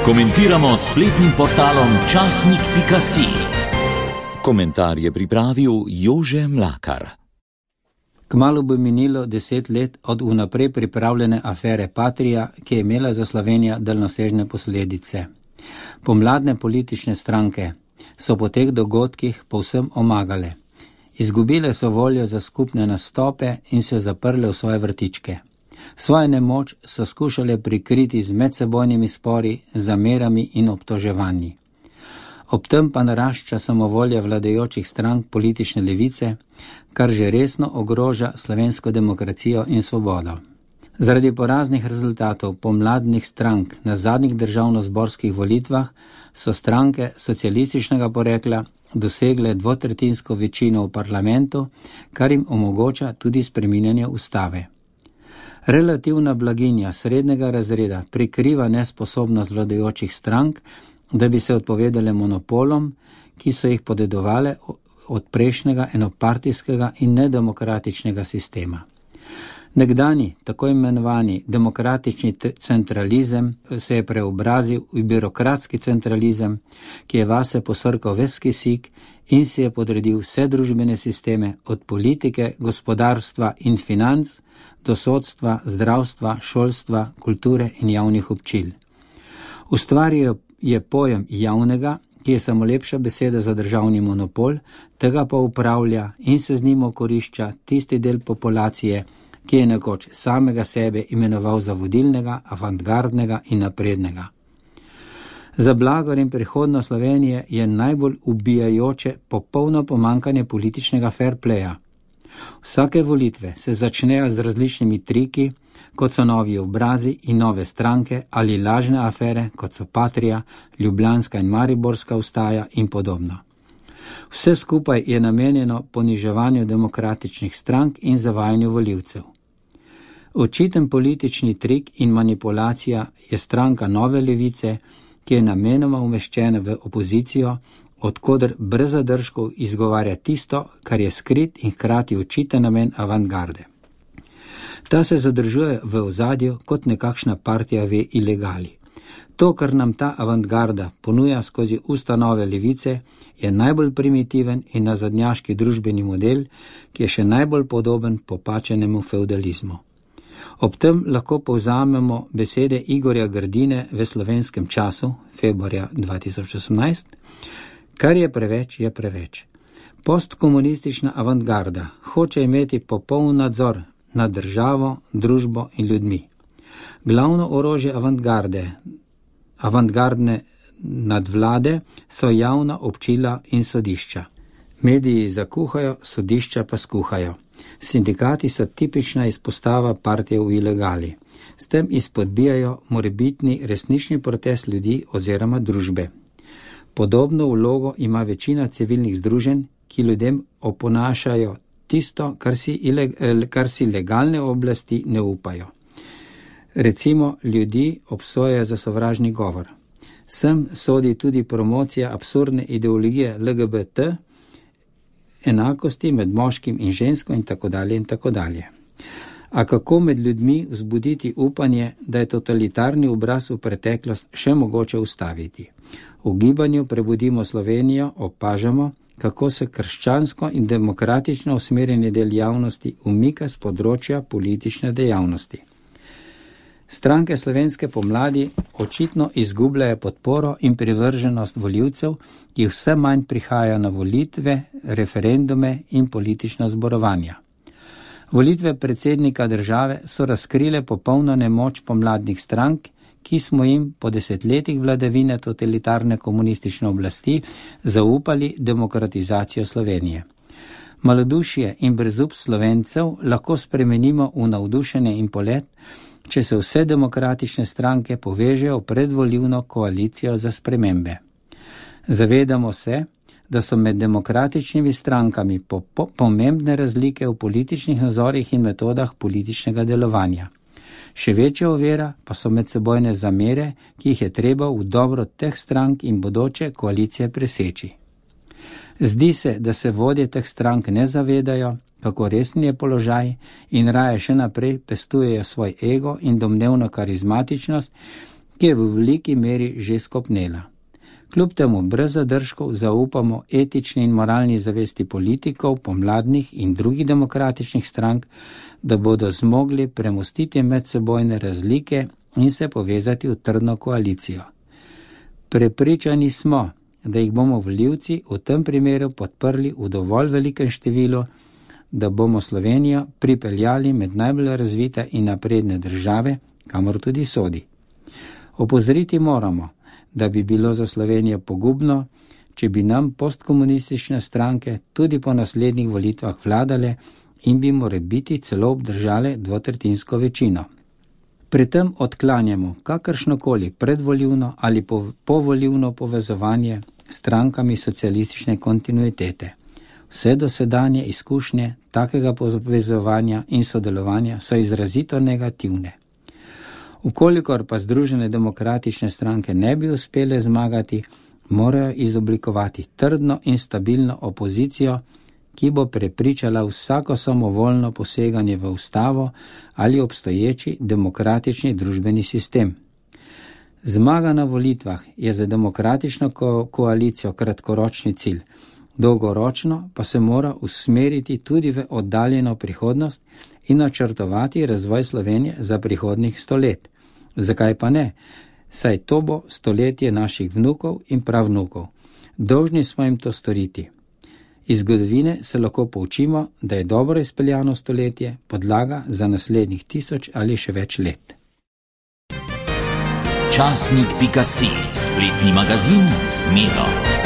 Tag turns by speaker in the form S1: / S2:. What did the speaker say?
S1: Komentiramo s spletnim portalom časnik.si. Komentar je pripravil Jože Mlakar.
S2: Kmalu bo minilo 10 let od vnaprej pripravljene afere Patria, ki je imela za Slovenijo daljnosežne posledice. Pomladne politične stranke so po teh dogodkih povsem omagale. Izgubile so voljo za skupne nastope in se zaprle v svoje vrtičke. Svojo nemoč so skušale prikriti z medsebojnimi spori, zamerami in obtoževanji. Ob tem pa narašča samovolja vladajočih strank politične levice, kar že resno ogroža slovensko demokracijo in svobodo. Zaradi poraznih rezultatov pomladnih strank na zadnjih državnozborskih volitvah so stranke socialističnega porekla dosegle dvotretjinsko večino v parlamentu, kar jim omogoča tudi spreminjanje ustave. Relativna blaginja srednjega razreda prikriva nesposobnost vladajočih strank, da bi se odpovedale monopolom, ki so jih podedovale od prejšnjega enopartijskega in nedemokratičnega sistema. Nekdanji, tako imenovani demokratični centralizem se je preobrazil v birokratski centralizem, ki je vase posrkal ves kisik in si je podredil vse družbene sisteme od politike, gospodarstva in financ do sodstva, zdravstva, šolstva, kulture in javnih občil. Ustvaril je pojem javnega, ki je samo lepša beseda za državni monopol, tega pa upravlja in se z njim okorišča tisti del populacije, ki je nekoč samega sebe imenoval za vodilnega, avantgardnega in naprednega. Za blagor in prihodnost Slovenije je najbolj ubijajoče popolno pomankanje političnega fair playa. Vsake volitve se začnejo z različnimi triki, kot so novi obrazi in nove stranke ali lažne afere, kot so Patria, Ljubljanska in Mariborska vstaja in podobno. Vse skupaj je namenjeno poniževanju demokratičnih strank in zavajanju volivcev. Očiten politični trik in manipulacija je stranka Nove levice, ki je namenoma umeščena v opozicijo, odkoder brez zadržkov izgovarja tisto, kar je skrit in hkrati očiten namen avantgarde. Ta se zadržuje v ozadju kot nekakšna partija v ilegali. To, kar nam ta avantgarda ponuja skozi usta Nove levice, je najbolj primitiven in nazadnjaški družbeni model, ki je še najbolj podoben popačenemu feudalizmu. Ob tem lahko povzamemo besede Igorja Grdine v Slovenskem času, februarja 2018, kar je preveč, je preveč. Postkomunistična avantgarda hoče imeti popoln nadzor nad državo, družbo in ljudmi. Glavno orožje avantgardne nadvlade so javna občila in sodišča. Mediji zakuhajo, sodišča pa skuhajo. Sindikati so tipična izpostava partije v ilegali. S tem izpodbijajo morebitni resnični protest ljudi oziroma družbe. Podobno vlogo ima večina civilnih združenj, ki ljudem oponašajo tisto, kar si legalne oblasti ne upajo. Recimo, ljudi obsojajo za sovražni govor. Sem sodi tudi promocija absurdne ideologije LGBT, enakosti med moškim in žensko in tako dalje in tako dalje. A kako med ljudmi vzbuditi upanje, da je totalitarni obraz v preteklost še mogoče ustaviti? V gibanju Prebudimo Slovenijo opažamo, kako se krščansko in demokratično usmerjeni del javnosti umika z področja politične dejavnosti. Stranke slovenske pomladi očitno izgubljajo podporo in privrženost volivcev, ki vse manj prihajajo na volitve, referendume in politična zborovanja. Volitve predsednika države so razkrile popolno nemoč pomladnih strank, ki smo jim po desetletjih vladavine totalitarne komunistične oblasti zaupali demokratizacijo Slovenije. Malodušje in brezup Slovencev lahko spremenimo v navdušenje in polet, če se vse demokratične stranke povežejo v predvolilno koalicijo za spremembe. Zavedamo se, da so med demokratičnimi strankami pomembne razlike v političnih nazorih in metodah političnega delovanja. Še večja ovira pa so medsebojne zamere, ki jih je treba v dobro teh strank in bodoče koalicije preseči. Zdi se, da se vodje teh strank ne zavedajo, kako resen je položaj in raje še naprej pestujejo svoj ego in domnevno karizmatičnost, ki je v veliki meri že skopnela. Kljub temu brez zadržkov zaupamo etični in moralni zavesti politikov, pomladnih in drugih demokratičnih strank, da bodo zmogli premostiti medsebojne razlike in se povezati v trdno koalicijo. Prepričani smo, da jih bomo volivci v tem primeru podprli v dovolj velikem številu, da bomo Slovenijo pripeljali med najbolj razvite in napredne države, kamor tudi sodi. Opozoriti moramo, da bi bilo za Slovenijo pogubno, če bi nam postkomunistične stranke tudi po naslednjih volitvah vladale in bi morebiti celo obdržale dvotretjinsko večino. Pri tem odklanjamo kakršnokoli predvolilno ali povolilno povezovanje s strankami socialistične kontinuitete. Vse dosedanje izkušnje takega povezovanja in sodelovanja so izrazito negativne. Ukolikor pa Združene demokratične stranke ne bi uspele zmagati, morajo izoblikovati trdno in stabilno opozicijo, ki bo prepričala vsako samovoljno poseganje v ustavo ali obstoječi demokratični družbeni sistem. Zmaga na volitvah je za demokratično koalicijo kratkoročni cilj, dolgoročno pa se mora usmeriti tudi v oddaljeno prihodnost in načrtovati razvoj Slovenije za prihodnjih 100 let. Zakaj pa ne? Saj to bo stoletje naših vnukov in pravnukov. Dolžni smo jim to storiti. Iz zgodovine se lahko poučimo, da je dobro izpeljano stoletje podlaga za naslednjih 1000 ali še več let.
S1: Časnik.si, spletni magazin z Miro.